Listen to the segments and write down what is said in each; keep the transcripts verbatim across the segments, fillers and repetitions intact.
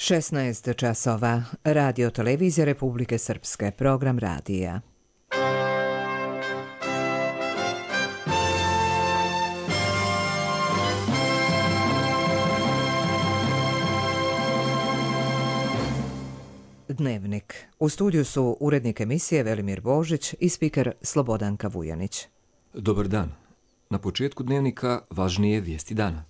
šesnaest časova. Radio televizija Republike Srpske. Program radija. Dnevnik. U studiju su urednik emisije Velimir Božić i spiker Slobodanka Vujanić. Dobar dan. Na početku dnevnika važnije vijesti dana.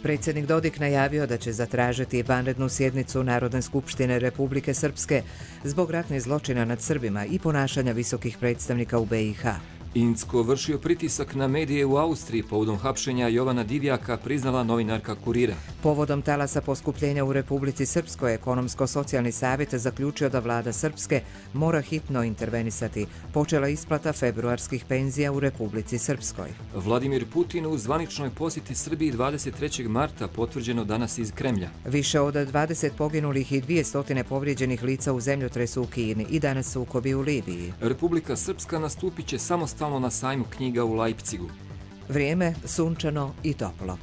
Predsjednik Dodik najavio da će zatražiti vanrednu sjednicu Narodne skupštine Republike Srpske zbog ratnih zločina nad Srbima i ponašanja visokih predstavnika u be i ha. Incko vršio pritisak na medije u Austriji povodom hapšenja Jovana Divjaka, priznala novinarka Kurira. Povodom talasa poskupljenja u Republici Srpskoj, Ekonomsko-socijalni savjet zaključio da vlada Srpske mora hitno intervenisati. Počela isplata februarskih penzija u Republici Srpskoj. Vladimir Putin u zvaničnoj posjeti Srbiji dvadeset trećeg marta, potvrđeno danas iz Kremlja. Više od dvadeset poginulih i dvjesto povrijeđenih lica u zemljotresu u Kini i danas sukobi u Libiji. Republika Srpska nastupit će samostalno na sajmu knjiga u Leipzigu. Vrijeme sunčano i toplo.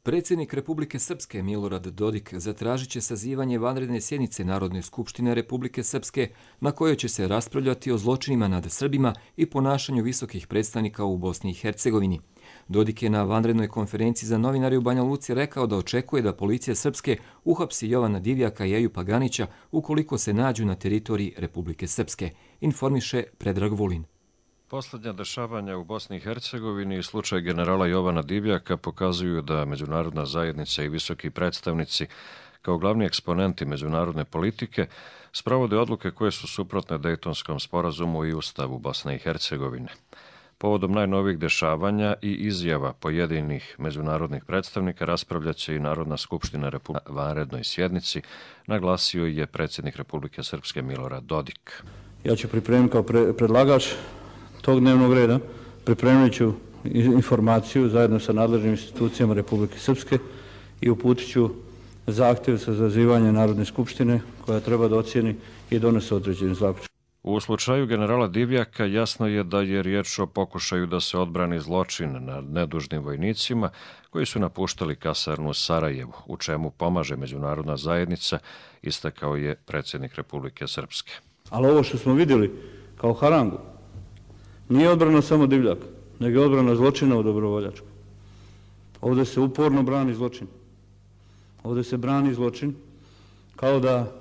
Predsjednik Republike Srpske Milorad Dodik zatražit će sazivanje vanredne sjednice Narodne skupštine Republike Srpske na kojoj će se raspravljati o zločinima nad Srbima i ponašanju visokih predstavnika u Bosni i Hercegovini. Dodik je na vanrednoj konferenciji za novinare u Banja Luci rekao da očekuje da policija Srpske uhapsi Jovana Divjaka i Ejupa Ganića ukoliko se nađu na teritoriji Republike Srpske, informiše Predrag Vulin. Posljednja dešavanja u Bosni i Hercegovini i slučaj generala Jovana Divjaka pokazuju da međunarodna zajednica i visoki predstavnici kao glavni eksponenti međunarodne politike sprovode odluke koje su suprotne Dejtonskom sporazumu i Ustavu Bosne i Hercegovine. Povodom najnovijih dešavanja i izjava pojedinih međunarodnih predstavnika raspravljat će i Narodna skupština Republike na vanrednoj sjednici, naglasio je predsjednik Republike Srpske Milorad Dodik. Ja ću pripremiti kao pre, predlagač tog dnevnog reda, pripremit ću informaciju zajedno sa nadležnim institucijama Republike Srpske i uputit ću zahtjev za sazivanje Narodne skupštine koja treba da ocijeni i donese određeni zaključak. U slučaju generala Divjaka jasno je da je riječ o pokušaju da se odbrani zločin nad nedužnim vojnicima koji su napuštali kasarnu u Sarajevu, u čemu pomaže međunarodna zajednica, istakao je predsjednik Republike Srpske. Ali ovo što smo vidjeli kao harangu nije odbrana samo Divljaka, nego je odbrana zločina u Dobrovoljačku. Ovdje se uporno brani zločin. Ovdje se brani zločin kao da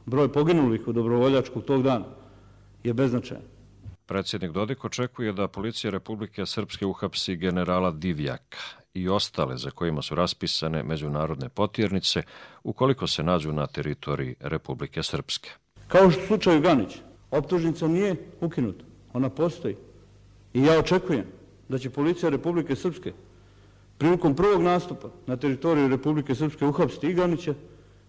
broj poginulih u Dobrovoljačku tog dana je beznačajan. Predsjednik Dodik očekuje da policija Republike Srpske uhapsi generala Divjaka i ostale za kojima su raspisane međunarodne potjernice ukoliko se nađu na teritoriji Republike Srpske. Kao što u slučaju Ganić, optužnica nije ukinuta. Ona postoji. I ja očekujem da će policija Republike Srpske prilikom prvog nastupa na teritoriju Republike Srpske uhapsiti i Ganića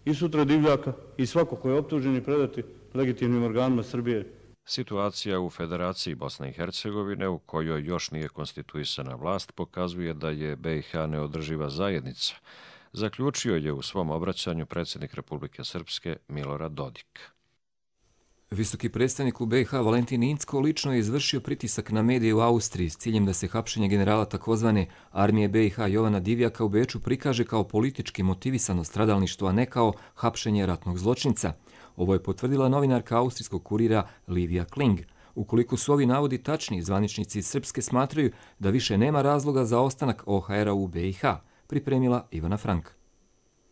i sutra Divljaka i svako ko je optužen i predati legitimnim organima Srbije. Situacija u Federaciji Bosne i Hercegovine, u kojoj još nije konstituisana vlast, pokazuje da je be i ha neodrživa zajednica, zaključio je u svom obraćanju predsjednik Republike Srpske Milorad Dodik. Visoki predstavnik u be i ha Valentin Incko lično je izvršio pritisak na medije u Austriji s ciljem da se hapšenje generala takozvane armije be i ha Jovana Divjaka u Beču prikaže kao politički motivisano stradalništvo, a ne kao hapšenje ratnog zločinca. Ovo je potvrdila novinarka austrijskog kurira Livia Kling. Ukoliko su ovi navodi tačni, zvaničnici iz Srpske smatraju da više nema razloga za ostanak o ha era u be i ha, pripremila Ivana Frank.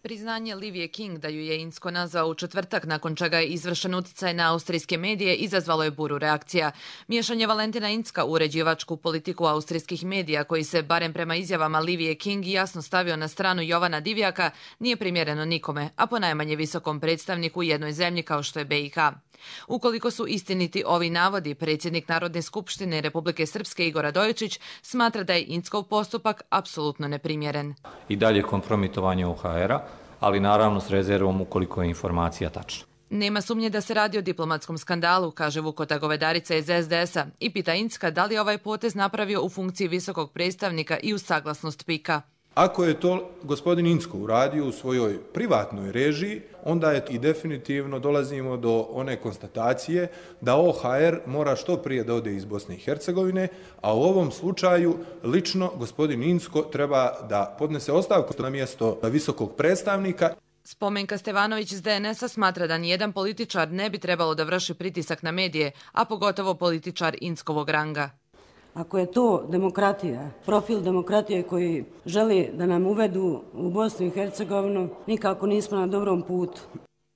Priznanje Livije King da ju je Incko nazvao u četvrtak nakon čega je izvršen uticaj na austrijske medije izazvalo je buru reakcija. Miješanje Valentina Incka u uređivačku politiku austrijskih medija koji se, barem prema izjavama Livije King, jasno stavio na stranu Jovana Divjaka, nije primjereno nikome, a ponajmanje visokom predstavniku u jednoj zemlji kao što je be i ha. Ukoliko su istiniti ovi navodi, predsjednik Narodne skupštine Republike Srpske Igor Radojičić smatra da je Inckov postupak apsolutno neprimjeren. I dalje kompromitovanje o ha era, ali naravno s rezervom ukoliko je informacija tačna. Nema sumnje da se radi o diplomatskom skandalu, kaže Vukota Govedarica iz es de esa i pita Incka da li je ovaj potez napravio u funkciji visokog predstavnika i uz saglasnost pika. Ako je to gospodin Incko uradio u svojoj privatnoj režiji, onda je i definitivno dolazimo do one konstatacije da O H R mora što prije da ode iz Bosne i Hercegovine, a u ovom slučaju lično gospodin Incko treba da podnese ostavku na mjesto visokog predstavnika. Spomenka Stevanović iz D N S-a smatra da nijedan političar ne bi trebalo da vrši pritisak na medije, a pogotovo političar Inckovog ranga. Ako je to demokratija, profil demokratije koji želi da nam uvedu u Bosnu i Hercegovinu, nikako nismo na dobrom putu.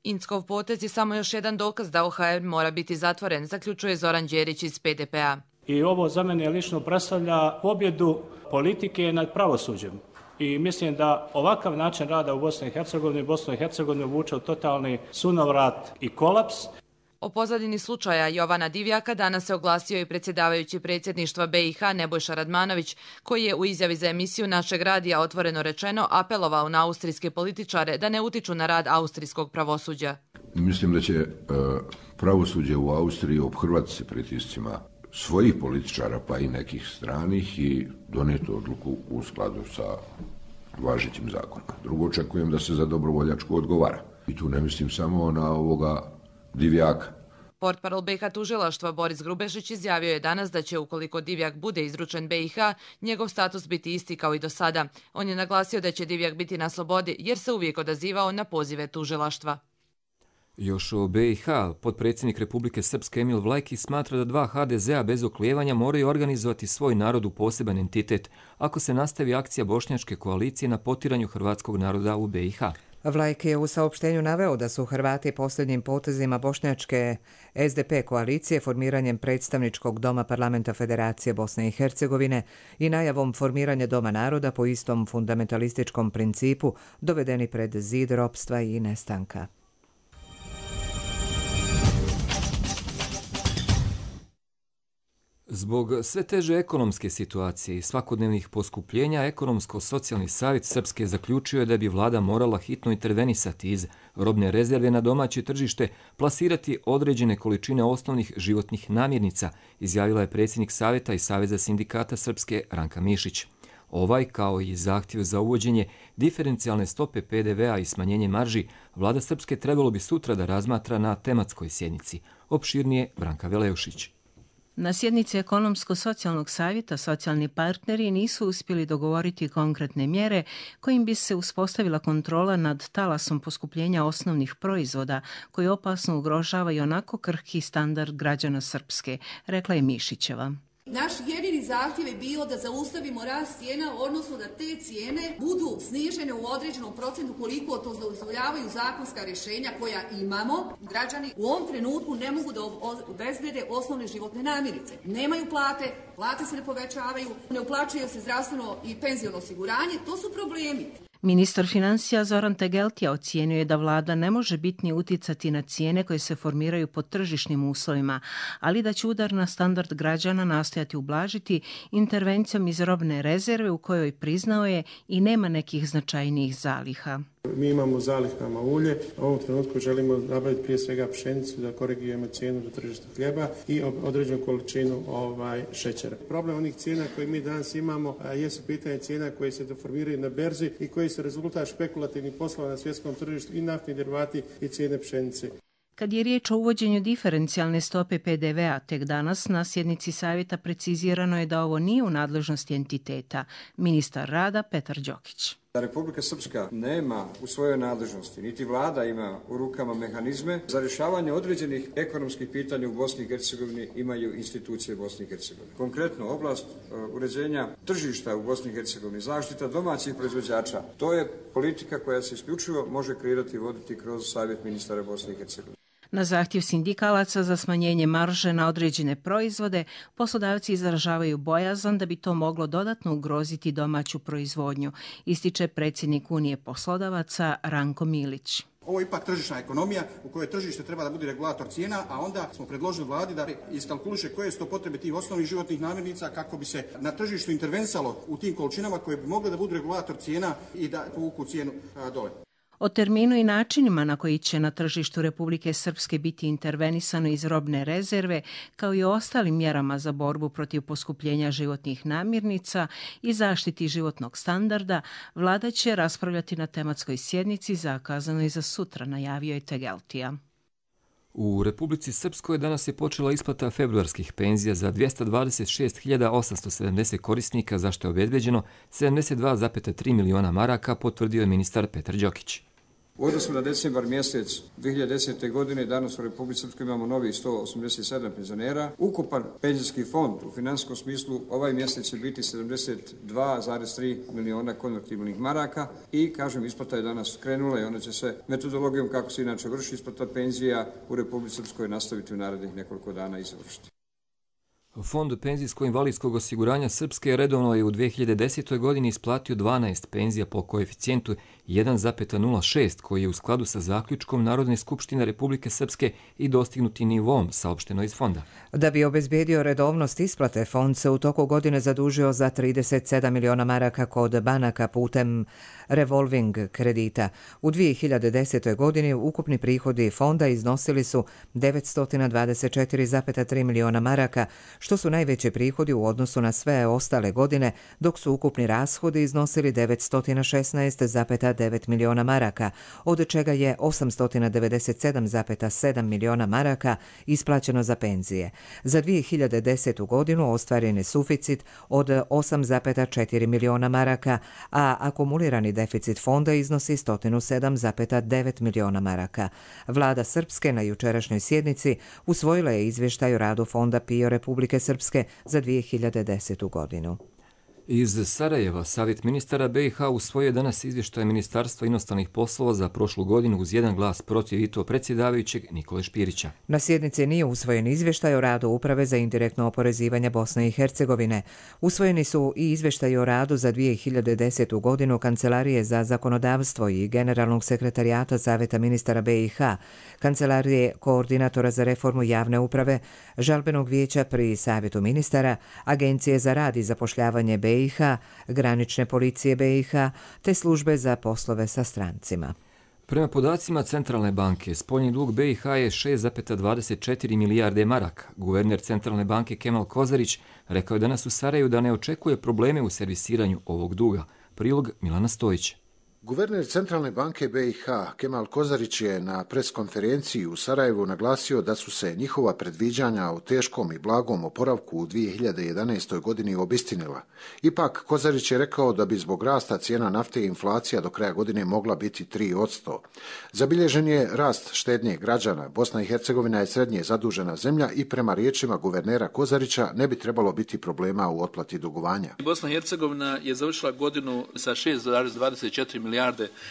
Inckov potez je samo još jedan dokaz da O H R mora biti zatvoren, zaključuje Zoran Đerić iz P D P-a. I ovo za mene lično predstavlja pobjedu politike nad pravosuđem. I mislim da ovakav način rada u Bosni i Hercegovini, Bosnu i Hercegovinu vuče u totalni sunovrat i kolaps. O pozadini slučaja Jovana Divjaka danas se oglasio i predsjedavajući predsjedništva B i H Nebojša Radmanović, koji je u izjavi za emisiju našeg radija otvoreno rečeno apelovao na austrijske političare da ne utiču na rad austrijskog pravosuđa. Mislim da će pravosuđe u Austriji ophrvati se pritiscima svojih političara pa i nekih stranih i donijeti odluku u skladu sa važećim zakonima. Drugo, očekujem da se za dobrovoljačku odgovara. I tu ne mislim samo na ovoga Divjaka. Portparol B i H tužilaštva Boris Grubešić izjavio je danas da će, ukoliko Divjak bude izručen B i H, njegov status biti isti kao i do sada. On je naglasio da će Divjak biti na slobodi jer se uvijek odazivao na pozive tužilaštva. Još o B i H, potpredsjednik Republike Srpske Emil Vlajki smatra da dva H D Z-a bez oklijevanja moraju organizovati svoj narod u poseban entitet ako se nastavi akcija bošnjačke koalicije na potiranju hrvatskog naroda u B i H. Vlajki je u saopštenju naveo da su Hrvati posljednjim potezima bošnjačke S D P koalicije formiranjem predstavničkog doma parlamenta Federacije Bosne i Hercegovine i najavom formiranja doma naroda po istom fundamentalističkom principu dovedeni pred zid ropstva i nestanka. Zbog sve teže ekonomske situacije i svakodnevnih poskupljenja, Ekonomsko-socijalni savjet Srpske zaključio je da bi vlada morala hitno intervenisati iz robne rezerve na domaće tržište, plasirati određene količine osnovnih životnih namirnica, izjavila je predsjednik savjeta i Saveza sindikata Srpske Ranka Mišić. Ovaj, kao i zahtjev za uvođenje diferencijalne stope P D V-a i smanjenje marži, vlada Srpske trebalo bi sutra da razmatra na tematskoj sjednici. Opširnije Branka Veleušić. Na sjednici Ekonomsko-socijalnog savjeta socijalni partneri nisu uspjeli dogovoriti konkretne mjere kojim bi se uspostavila kontrola nad talasom poskupljenja osnovnih proizvoda koji opasno ugrožava i onako krhki standard građana Srpske, rekla je Mišićeva. Naš jedini zahtjev je bio da zaustavimo rast cijena, odnosno da te cijene budu snižene u određenom procentu koliko to dozvoljavaju zakonska rješenja koja imamo. Građani u ovom trenutku ne mogu da obezbede osnovne životne namirnice. Nemaju plate, plate se ne povećavaju, ne uplaćuje se zdravstveno i penziono osiguranje, to su problemi. Ministar financija Zoran Tegeltija ocijenio je da vlada ne može bitnije uticati na cijene koje se formiraju pod tržišnim uslovima, ali da će udar na standard građana nastojati ublažiti intervencijom iz robne rezerve u kojoj, priznao je, i nema nekih značajnijih zaliha. Mi imamo zalihama ulje, u ovom trenutku želimo nabaviti prije svega pšenicu da korigujemo cijenu do tržišta hljeba i određenu količinu ovaj, šećera. Problem onih cijena koje mi danas imamo a, jesu pitanje cijena koje se deformiraju na berzi i koji su rezultat špekulativnih poslova na svjetskom tržištu i naftni derivati i cijene pšenice. Kad je riječ o uvođenju diferencijalne stope P D V-a, tek danas na sjednici savjeta precizirano je da ovo nije u nadležnosti entiteta. Ministar rada Petar Đokić. Da Republika Srpska nema u svojoj nadležnosti, niti vlada ima u rukama mehanizme za rješavanje određenih ekonomskih pitanja u Bosni i Hercegovini imaju institucije Bosne i Hercegovine. Konkretno, oblast uređenja tržišta u Bosni i Hercegovini, zaštita domaćih proizvođača, to je politika koja se isključivo može kreirati i voditi kroz Savjet ministara Bosne i Hercegovine. Na zahtjev sindikalaca za smanjenje marže na određene proizvode, poslodavci izražavaju bojazan da bi to moglo dodatno ugroziti domaću proizvodnju, ističe predsjednik Unije poslodavaca Ranko Milić. Ovo je ipak tržišna ekonomija u kojoj tržište treba da bude regulator cijena, a onda smo predložili vladi da iskalkuliše koje su to potrebe tih osnovnih životnih namirnica kako bi se na tržištu intervenisalo u tim količinama koje bi mogle da budu regulator cijena i da povuku cijenu dole. O terminu i načinima na koji će na tržištu Republike Srpske biti intervenisano iz robne rezerve, kao i o ostalim mjerama za borbu protiv poskupljenja životnih namirnica i zaštiti životnog standarda, vlada će raspravljati na tematskoj sjednici zakazanoj za sutra, najavio je Tegeltija. U Republici Srpskoj danas je počela isplata februarskih penzija za dvjesto dvadeset šest hiljada osamsto sedamdeset korisnika, za što je obezbeđeno sedamdeset dva zarez tri miliona maraka, potvrdio je ministar Petar Đokić. U odnosu na decembar mjesec dvije hiljade desete. godine danas u Republici Srpskoj imamo novih sto osamdeset sedam penzionera. Ukupan penzijski fond u finansijskom smislu ovaj mjesec će biti sedamdeset dva zarez tri miliona konvertibilnih maraka i, kažem, isplata je danas krenula i ona će se metodologijom kako se inače vrši isplata penzija u Republici Srpskoj nastaviti u narednih nekoliko dana i završiti. Fond penzijsko-invalidskog osiguranja Srpske redovno je u dvije hiljade desetoj. godini isplatio dvanaest penzija po koeficijentu jedan zarez nula šest, koji je u skladu sa zaključkom Narodne skupštine Republike Srpske i dostignuti nivom, saopšteno iz fonda. Da bi obezbedio redovnost isplate, fond se u toku godine zadužio za trideset sedam miliona maraka kod banaka putem revolving kredita. U dvije hiljade desetoj. godini ukupni prihodi fonda iznosili su devetsto dvadeset četiri zarez tri miliona maraka, što su najveći prihodi u odnosu na sve ostale godine, dok su ukupni rashodi iznosili devetsto šesnaest zarez devet miliona maraka, od čega je osamsto devedeset sedam zarez sedam miliona maraka isplaćeno za penzije. Za dvije hiljade desetu. godinu ostvaren je suficit od osam zarez četiri miliona maraka, a akumulirani deficit fonda iznosi sto sedam zarez devet miliona maraka. Vlada Srpske na jučerašnjoj sjednici usvojila je izvještaj o radu fonda P I O Republike Srpske za dvije hiljade desetu. godinu. Iz Sarajeva Savjet ministara B i H usvojio danas izvještaj Ministarstva inostranih poslova za prošlu godinu uz jedan glas protiv i to predsjedavajućeg Nikole Špirića. Na sjednici nije usvojen izvještaj o radu Uprave za indirektno oporezivanje Bosne i Hercegovine. Usvojeni su i izvještaj o radu za dvije hiljade desetu. godinu Kancelarije za zakonodavstvo i Generalnog sekretarijata Savjeta ministara B i H, Kancelarije koordinatora za reformu javne uprave, Žalbenog vijeća pri Savjetu ministara, Agencije za rad i zapošljavanje B i H, Granične policije B i H, te službe za poslove sa strancima. Prema podacima Centralne banke, spoljni dug B i H je šest zarez dvadeset četiri milijarde maraka. Guverner Centralne banke Kemal Kozarić rekao je danas u Sarajevu da ne očekuje probleme u servisiranju ovog duga. Prilog Milana Stojić. Guverner Centralne banke B i H Kemal Kozarić je na preskonferenciji u Sarajevu naglasio da su se njihova predviđanja o teškom i blagom oporavku u dvije hiljade jedanaestoj. godini obistinila. Ipak, Kozarić je rekao da bi zbog rasta cijena nafte i inflacija do kraja godine mogla biti tri posto. Zabilježen je rast štednje građana. Bosna i Hercegovina je srednje zadužena zemlja i prema riječima guvernera Kozarića ne bi trebalo biti problema u otplati dugovanja. Bosna i Hercegovina je završila godinu sa šest zarez dvadeset četiri milijarde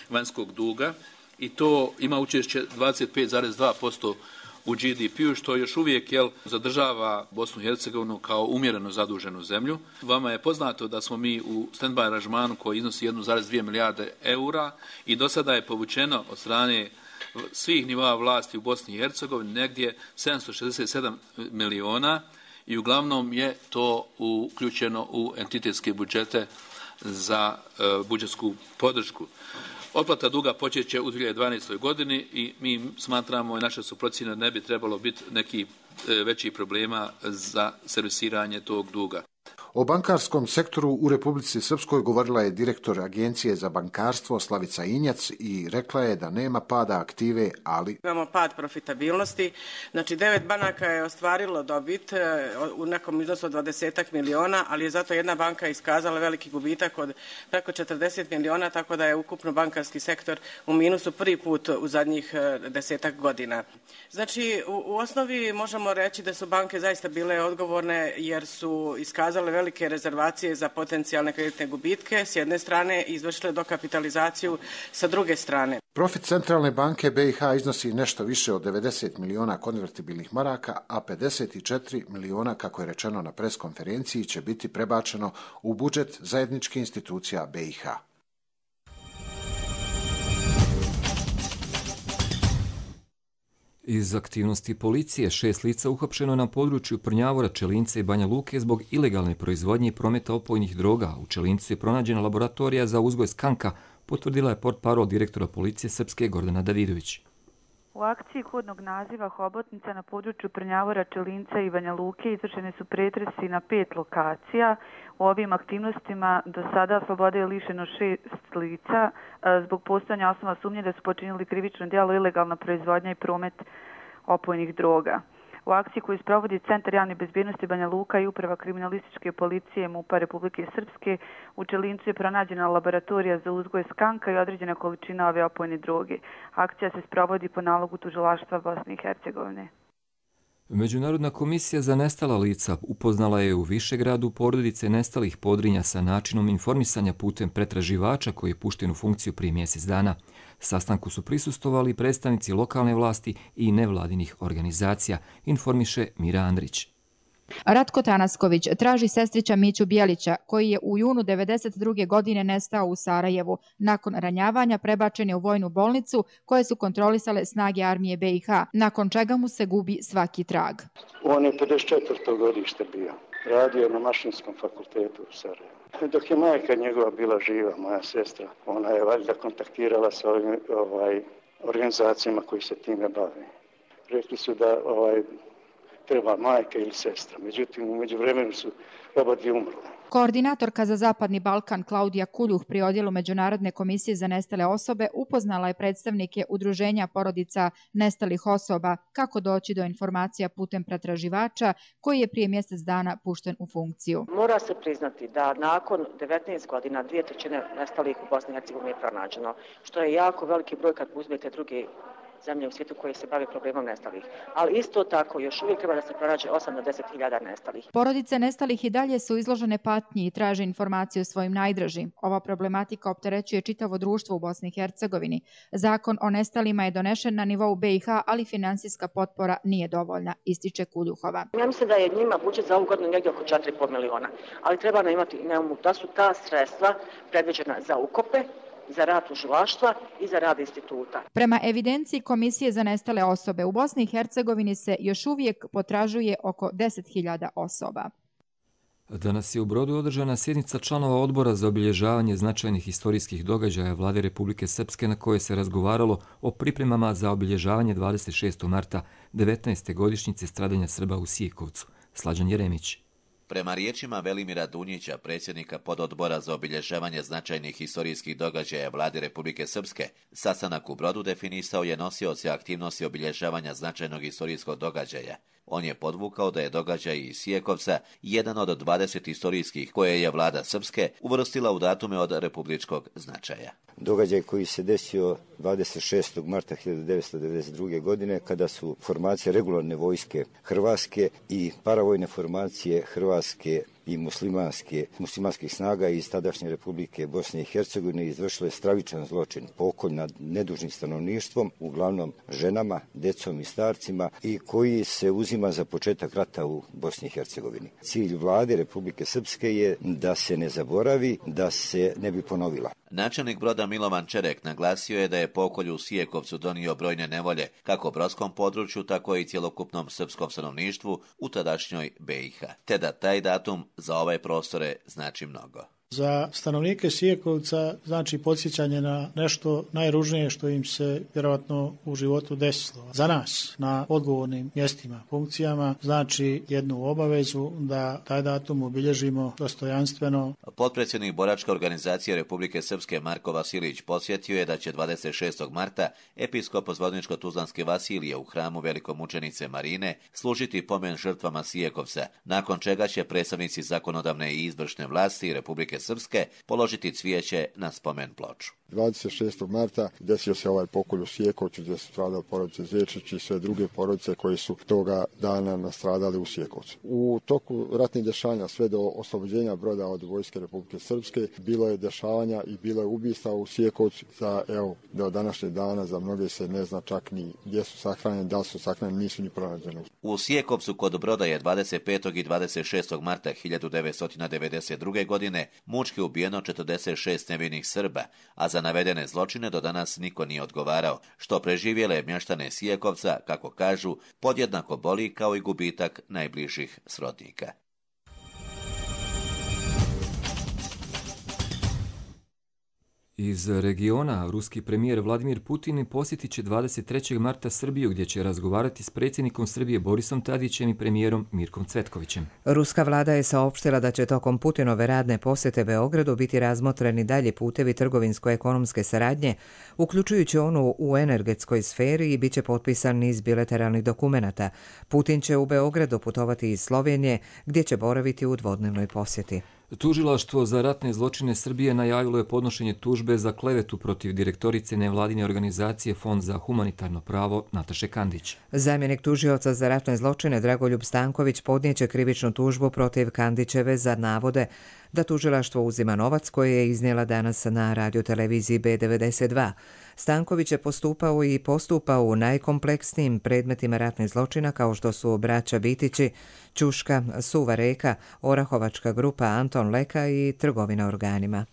vanjskog duga i to ima učešće dvadeset pet zarez dva posto u G D P-u, što još uvijek jel, zadržava Bosnu i Hercegovinu kao umjereno zaduženu zemlju. Vama je poznato da smo mi u stand-by aranžmanu koji iznosi jedna zarez dvije milijarde eura i do sada je povučeno od strane svih nivoa vlasti u Bosni i Hercegovini negdje sedamsto šezdeset sedam miliona i uglavnom je to uključeno u entitetske budžete za uh, budžetsku podršku. Otplata duga počeće u dvije hiljade dvanaestoj. godini i mi smatramo i naše su procjene ne bi trebalo biti neki uh, većih problema za servisiranje tog duga. O bankarskom sektoru u Republici Srpskoj govorila je direktor Agencije za bankarstvo Slavica Injac i rekla je da nema pada aktive, ali... Imamo pad profitabilnosti, znači devet banaka je ostvarilo dobit u nekom iznosu od dvadeset miliona, ali je zato jedna banka iskazala veliki gubitak od preko četrdeset miliona, tako da je ukupno bankarski sektor u minusu prvi put u zadnjih desetak godina. Znači, u, u osnovi možemo reći da su banke zaista bile odgovorne jer su iskazale veliki velike rezervacije za potencijalne kreditne gubitke s jedne strane i izvršile dokapitalizaciju sa druge strane. Profit Centralne banke B i H iznosi nešto više od devedeset miliona konvertibilnih maraka, a pedeset četiri miliona, kako je rečeno na preskonferenciji, će biti prebačeno u budžet zajedničkih institucija B i H. Iz aktivnosti policije šest lica uhapšeno na području Prnjavora, Čelinca i Banja Luke zbog ilegalne proizvodnje i prometa opojnih droga. U Čelincu je pronađena laboratorija za uzgoj skanka potvrdila je portparol direktora policije Srpske Gordana Davidović. U akciji kodnog naziva Hobotnica na području Prnjavora, Čelinca i Banja Luke izvršeni su pretresi na pet lokacija. U ovim aktivnostima do sada slobode je lišeno šest lica zbog postojanja osnova sumnje da su počinili krivično djelo ilegalna proizvodnja i promet opojnih droga. U akciji koju sprovodi Centar javne bezbjednosti Banja Luka i Uprava kriminalističke policije MUP-a Republike Srpske, u Čelincu je pronađena laboratorija za uzgoj skanka i određena količina ove opojne droge. Akcija se sprovodi po nalogu tužilaštva Bosne i Hercegovine. Međunarodna komisija za nestala lica upoznala je u Višegradu porodice nestalih Podrinja sa načinom informisanja putem pretraživača koji je pušten u funkciju prije mjesec dana. Sastanku su prisustovali predstavnici lokalne vlasti i nevladinih organizacija, informiše Mira Andrić. Ratko Tanasković traži sestrića Miću Bijelića, koji je u junu devedeset druge godine nestao u Sarajevu. Nakon ranjavanja prebačen je u vojnu bolnicu koje su kontrolisale snage armije B i H, nakon čega mu se gubi svaki trag. On je pedeset četvrtog godište bio. Radio na Mašinskom fakultetu u Sarajevu. Dok je majka njegova bila živa, moja sestra, ona je valjda kontaktirala sa ovim ovaj, organizacijama koji se time bave. Rekli su da ovaj, treba majka ili sestra. Međutim, u međuvremenu su oba dvije umrle. Koordinatorka za Zapadni Balkan Klaudija Kuljuh pri odjelu Međunarodne komisije za nestale osobe upoznala je predstavnike udruženja porodica nestalih osoba kako doći do informacija putem pretraživača koji je prije mjesec dana pušten u funkciju. Mora se priznati da nakon devetnaest godina dvije trećine nestalih u Bosni i Hercegovini je pronađeno, što je jako veliki broj kad uzmete druge zemlje u svijetu koje se bave problemom nestalih. Ali isto tako još uvijek treba da se pronađe osam do deset hiljada nestalih. Porodice nestalih i dalje su izložene patnji i traže informacije o svojim najdražim. Ova problematika opterećuje čitavo društvo u Bosni i Hercegovini. Zakon o nestalima je donešen na nivou B i H, ali finansijska potpora nije dovoljna, ističe Kuljuhova. Ja mislim da je njima budžet za ovu godinu negdje oko četiri i pol miliona, ali treba nam imati na umu da su ta sredstva predviđena za ukope, za rad tužilaštva i za rad instituta. Prema evidenciji Komisije za nestale osobe u Bosni i Hercegovini se još uvijek potražuje oko deset hiljada osoba. Danas je u Brodu održana sjednica članova odbora za obilježavanje značajnih historijskih događaja Vlade Republike Srpske na kojoj se razgovaralo o pripremama za obilježavanje dvadeset šestog marta devetnaeste godišnjice stradanja Srba u Sijekovcu. Slađan Jeremić. Prema riječima Velimira Dunjića, predsjednika pododbora za obilježavanje značajnih historijskih događaja Vlade Republike Srpske, sastanak u Brodu definisao je nosioce aktivnosti obilježavanja značajnog historijskog događaja. On je podvukao da je događaj iz Sijekovca jedan od dvadeset historijskih koje je vlada Srpske uvrstila u datume od republičkog značaja. Događaj koji se desio dvadeset šestog marta hiljadu devetsto devedeset druge. godine kada su formacije regularne vojske Hrvatske i paravojne formacije Hrvatske i muslimanske, muslimanskih snaga iz tadašnje Republike Bosne i Hercegovine izvršile stravičan zločin, pokolj nad nedužnim stanovništvom, uglavnom ženama, decom i starcima, i koji se uzima za početak rata u Bosni i Hercegovini. Cilj vlade Republike Srpske je da se ne zaboravi, da se ne bi ponovila. Načelnik Broda Milovan Čerek naglasio je da je pokolj u Sijekovcu donio brojne nevolje, kako brodskom području, tako i cjelokupnom srpskom stanovništvu u tadašnjoj B i H, te da taj datum za ove prostore znači mnogo. Za stanovnike Sijekovca znači podsjećanje na nešto najružnije što im se vjerojatno u životu desilo. Za nas na odgovornim mjestima, funkcijama znači jednu obavezu da taj datum obilježimo dostojanstveno. Potpredsjednik Boračke organizacije Republike Srpske Marko Vasilić podsjetio je da će dvadeset šestog marta episkop Zvorničko-Tuzlanske Vasilije u hramu velikomučenice Marine služiti pomen žrtvama Sijekovca, nakon čega će predstavnici zakonodavne i izvršne vlasti Republike Srpske položiti cvijeće na spomen ploču. dvadeset šestog marta desio se ovaj pokolj u Sijekovcu gdje su stradali porodice Zečić i sve druge porodice koje su toga dana nastradali u Sijekovcu. U toku ratnih dešavanja sve do oslobođenja Broda od vojske Republike Srpske bilo je dešavanja i bilo je ubistva u Sijekovcu. Za, evo, do današnjeg dana za mnoge se ne zna čak ni gdje su sahranjeni, da li su sahranjeni, nisu ni pronađeni. U Sijekovcu kod Broda je dvadeset petog i dvadeset šestog marta hiljadu devetsto devedeset druge. godine mučki ubijeno četrdeset šest nevinih Srba, a za navedene zločine do danas niko nije odgovarao, što preživjele mještane Sijekovca, kako kažu, podjednako boli kao i gubitak najbližih srodnika. Iz regiona, ruski premijer Vladimir Putin posjetit će dvadeset trećeg marta Srbiju, gdje će razgovarati s predsjednikom Srbije Borisom Tadićem i premijerom Mirkom Cvetkovićem. Ruska vlada je saopštila da će tokom Putinove radne posjete Beogradu biti razmotreni dalje putevi trgovinsko-ekonomske saradnje, uključujući onu u energetskoj sferi, i bit će potpisan niz bilateralnih dokumenata. Putin će u Beogradu putovati iz Slovenije, gdje će boraviti u dvodnevnoj posjeti. Tužilaštvo za ratne zločine Srbije najavilo je podnošenje tužbe za klevetu protiv direktorice nevladine organizacije Fond za humanitarno pravo Nataše Kandić. Zamjenik tužioca za ratne zločine Dragoljub Stanković podnijeće krivičnu tužbu protiv Kandićeve za navode da tužilaštvo uzima novac koji je iznijela danas na radioteleviziji B devedeset dva. Stanković je postupao i postupao u najkompleksnijim predmetima ratnih zločina kao što su braća Bitići, Ćuška, Suva Reka, Orahovačka grupa Anton Leka i trgovina organima.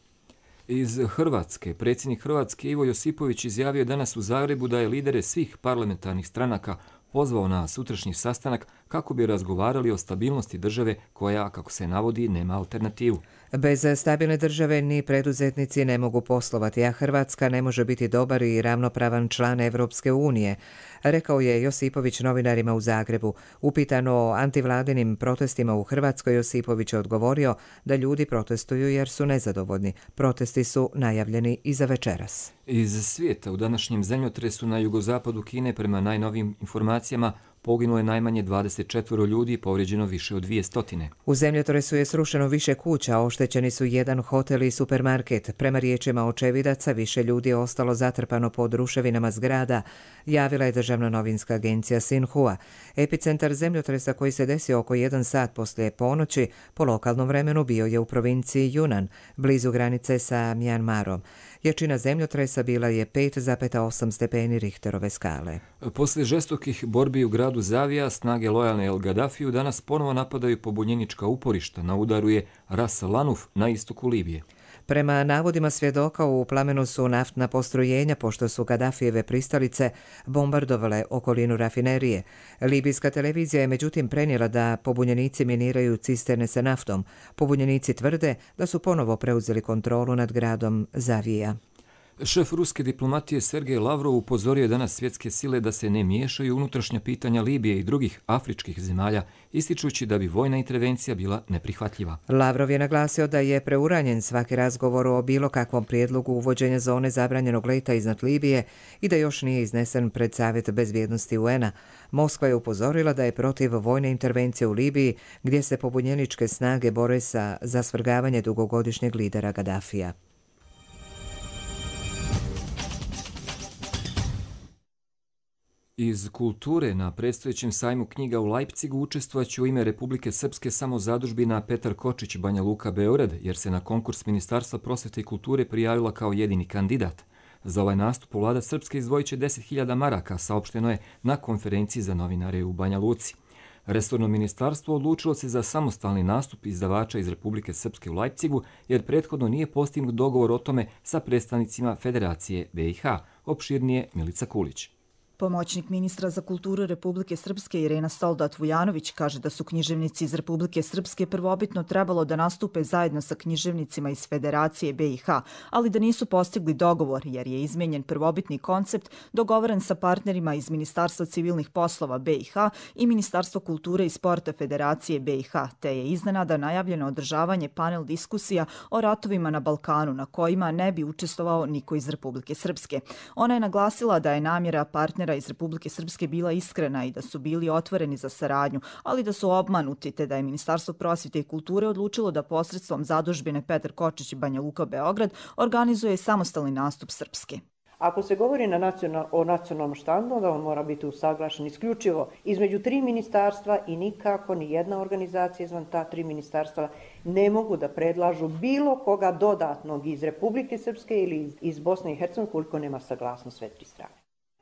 Iz Hrvatske, predsjednik Hrvatske Ivo Josipović izjavio danas u Zagrebu da je lidere svih parlamentarnih stranaka pozvao na sutrašnji sastanak kako bi razgovarali o stabilnosti države koja, kako se navodi, nema alternativu. Bez stabilne države ni preduzetnici ne mogu poslovati, a Hrvatska ne može biti dobar i ravnopravan član Evropske unije, rekao je Josipović novinarima u Zagrebu. Upitano o antivladinim protestima u Hrvatskoj, Josipović je odgovorio da ljudi protestuju jer su nezadovoljni. Protesti su najavljeni i za večeras. Iz svijeta, u današnjem zemljotresu na jugozapadu Kine, prema najnovijim informacijama, poginulo je najmanje dvadeset četvoro ljudi i povrijeđeno više od dvije stotine. U zemljotresu je srušeno više kuća, oštećeni su jedan hotel i supermarket. Prema riječima očevidaca, više ljudi je ostalo zatrpano pod ruševinama zgrada, javila je državna novinska agencija Sinhua. Epicentar zemljotresa, koji se desio oko jedan sat poslije ponoći, po lokalnom vremenu bio je u provinciji Yunnan, blizu granice sa Mjanmarom. Jačina zemljotresa bila je pet zarez osam stepeni Richterove skale. Poslije žestokih borbi u gradu Zavija, snage lojalne El Gaddafiju danas ponovo napadaju pobunjenička uporišta. Na udaru je Ras Lanuf na istoku Libije. Prema navodima svjedoka, u plamenu su naftna postrojenja, pošto su Gaddafijeve pristalice bombardovale okolinu rafinerije. Libijska televizija je međutim prenijela da pobunjenici miniraju cisterne sa naftom. Pobunjenici tvrde da su ponovo preuzeli kontrolu nad gradom Zavija. Šef ruske diplomatije Sergej Lavrov upozorio je danas svjetske sile da se ne miješaju unutrašnja pitanja Libije i drugih afričkih zemalja, ističući da bi vojna intervencija bila neprihvatljiva. Lavrov je naglasio da je preuranjen svaki razgovor o bilo kakvom prijedlogu uvođenja zone zabranjenog leta iznad Libije i da još nije iznesen pred Savjet bezbjednosti U N-a. Moskva je upozorila da je protiv vojne intervencije u Libiji, gdje se pobunjeničke snage bore sa za svrgavanje dugogodišnjeg lidera Gaddafija. Iz kulture, na predstojećem sajmu knjiga u Leipzigu učestvovaće u ime Republike Srpske samo zadužbina Petar Kočić Banja Luka Beograd, jer se na konkurs Ministarstva prosvete i kulture prijavila kao jedini kandidat. Za ovaj nastup vlada Srpske izdvojit će deset hiljada maraka, saopšteno je na konferenciji za novinare u Banja Luci. Resorno ministarstvo odlučilo se za samostalni nastup izdavača iz Republike Srpske u Leipzigu, jer prethodno nije postignut dogovor o tome sa predstavnicima Federacije B i H. Opširnije Milica Kulić. Pomoćnik ministra za kulturu Republike Srpske Irena Soldat-Vujanović kaže da su književnici iz Republike Srpske prvobitno trebalo da nastupe zajedno sa književnicima iz Federacije B i H, ali da nisu postigli dogovor jer je izmenjen prvobitni koncept dogovoren sa partnerima iz Ministarstva civilnih poslova B i H i Ministarstva kulture i sporta Federacije B i H, te je iznenada najavljeno održavanje panel diskusija o ratovima na Balkanu na kojima ne bi učestvovao niko iz Republike Srpske. Ona je naglasila da je namjera partnera iz Republike Srpske bila iskrena i da su bili otvoreni za saradnju, ali da su obmanuti, te da je Ministarstvo prosvete i kulture odlučilo da posredstvom zadužbine Petar Kočić Banja Luka Beograd organizuje samostalni nastup Srpske. Ako se govori na nacional, o nacionalnom štandu, onda on mora biti usaglašen isključivo između tri ministarstva i nikako ni jedna organizacija izvan ta tri ministarstva ne mogu da predlažu bilo koga dodatnog iz Republike Srpske ili iz Bosne i Hercegovine koliko nema saglasnost sve tri strane.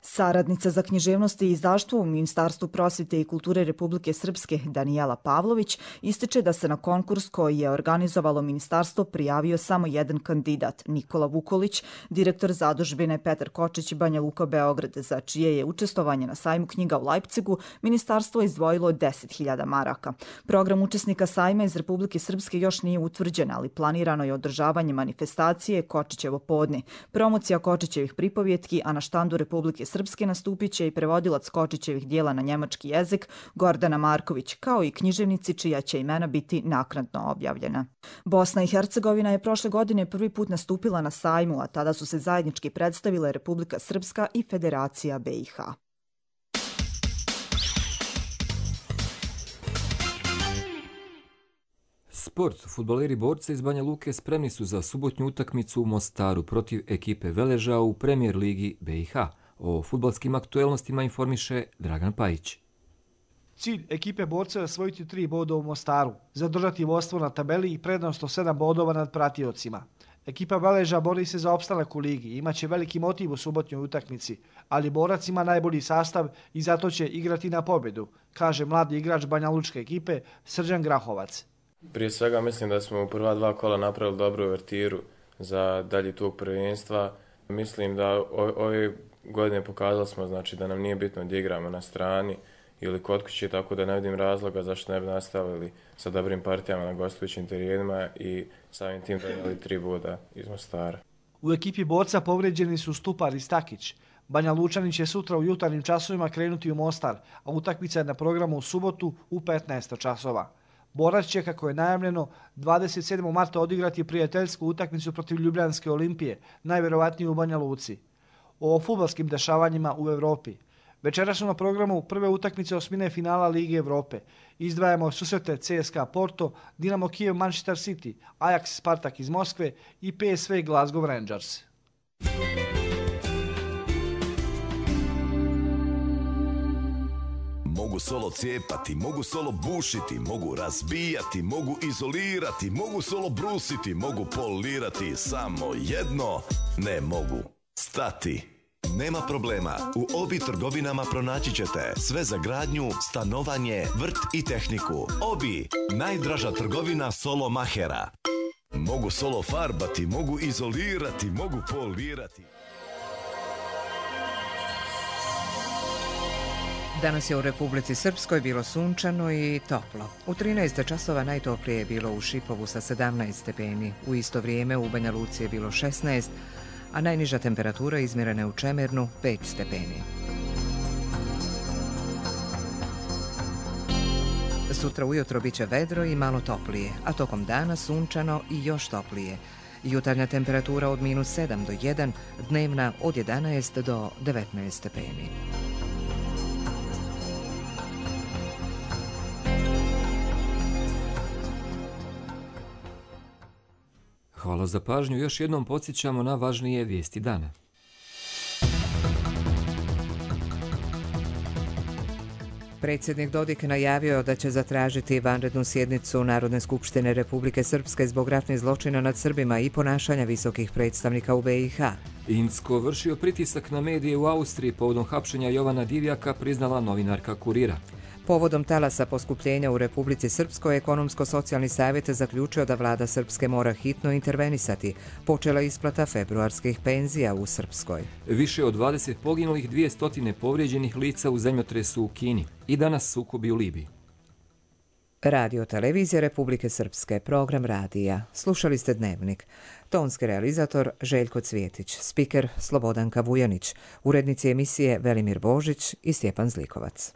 Saradnica za književnost i izdaštvo u Ministarstvu prosvete i kulture Republike Srpske Danijela Pavlović ističe da se na konkurs koji je organizovalo ministarstvo prijavio samo jedan kandidat, Nikola Vukolić, direktor zadužbine Petar Kočić Banja Luka Beograd, za čije je učestvovanje na sajmu knjiga u Leipcigu ministarstvo izdvojilo deset hiljada maraka. Program učesnika sajma iz Republike Srpske još nije utvrđen, ali planirano je održavanje manifestacije Kočićevo podne, promocija Kočićevih pripovjetki, a na štandu Republike Srpske nastupit će i prevodilac Kočićevih dijela na njemački jezik Gordana Marković, kao i književnici čija će imena biti naknadno objavljena. Bosna i Hercegovina je prošle godine prvi put nastupila na sajmu, a tada su se zajednički predstavile Republika Srpska i Federacija B i H. Sport. Fudbaleri borca iz Banja Luke spremni su za subotnju utakmicu u Mostaru protiv ekipe Veleža u Premier ligi B i H. O fudbalskim aktuelnostima informiše Dragan Pajić. Cilj ekipe borca je osvojiti tri boda u Mostaru, zadržati vodstvo na tabeli i prednost od sedam bodova nad pratiocima. Ekipa Veleža bori se za opstanak u ligi i imaće veliki motiv u subotnjoj utakmici, ali borac ima najbolji sastav i zato će igrati na pobjedu, kaže mladi igrač Banja Lučke ekipe Srđan Grahovac. Prije svega mislim da smo u prva dva kola napravili dobru uvertiru za dalji tog prvenstva. Mislim da ove godine pokazali smo znači, da nam nije bitno da igramo na strani ili kod kuće, tako da ne vidim razloga zašto ne bi nastavili sa dobrim partijama na gostujućim terenima i samim tim donijeli tri boda iz Mostara. U ekipi borca povređeni su Stupar i Stakić. Banja Lučani će sutra u jutarnjim časovima krenuti u Mostar, a utakmica je na programu u subotu u petnaest časova. Borac će, kako je najavljeno, dvadeset sedmog marta odigrati prijateljsku utakmicu protiv Ljubljanske Olimpije, najvjerovatnije u Banja Luci. O fudbalskim dešavanjima u Evropi. Večeras su na programu prve utakmice osmine finala Lige Evrope. Izdvajamo susrete C S K A Porto, Dinamo Kijev Manchester City, Ajax Spartak iz Moskve i P S V Glasgow Rangers. Mogu solo cijepati, mogu solo bušiti, mogu razbijati, mogu izolirati, mogu solo brusiti, mogu polirati, samo jedno ne mogu stati. Nema problema, u Obi trgovinama pronaći ćete sve za gradnju, stanovanje, vrt i tehniku. Obi, najdraža trgovina solo mahera. Mogu solo farbati, mogu izolirati, mogu polirati. Danas je u Republici Srpskoj bilo sunčano i toplo. U trinaest časova najtoplije je bilo u Šipovu sa sedamnaest stepeni. U isto vrijeme u Banja Luci je bilo šesnaest, a najniža temperatura izmjerena je u Čemernu pet stepeni. Sutra ujutro bit će vedro i malo toplije, a tokom dana sunčano i još toplije. Jutarnja temperatura od minus sedam do jedan, dnevna od jedanaest do devetnaest stepeni. Hvala za pažnju. Još jednom podsjećamo na važnije vijesti dana. Predsjednik Dodik najavio da će zatražiti vanrednu sjednicu Narodne skupštine Republike Srpske zbog ratnih zločina nad Srbima i ponašanja visokih predstavnika u B i H. Incko vršio pritisak na medije u Austriji povodom hapšenja Jovana Divjaka, priznala novinarka Kurira. Povodom talasa poskupljenja u Republici Srpskoj, Ekonomsko-socijalni savjet zaključio da vlada Srpske mora hitno intervenisati. Počela isplata februarskih penzija u Srpskoj. Više od dvadeset poginulih, dvije stotine povrijeđenih lica u zemljotresu u Kini i danas sukobi u Libiji. Radio televizija Republike Srpske, program radija. Slušali ste Dnevnik. Tonski realizator Željko Cvjetić, spiker Slobodanka Vujanić, urednici emisije Velimir Božić i Stjepan Zlikovac.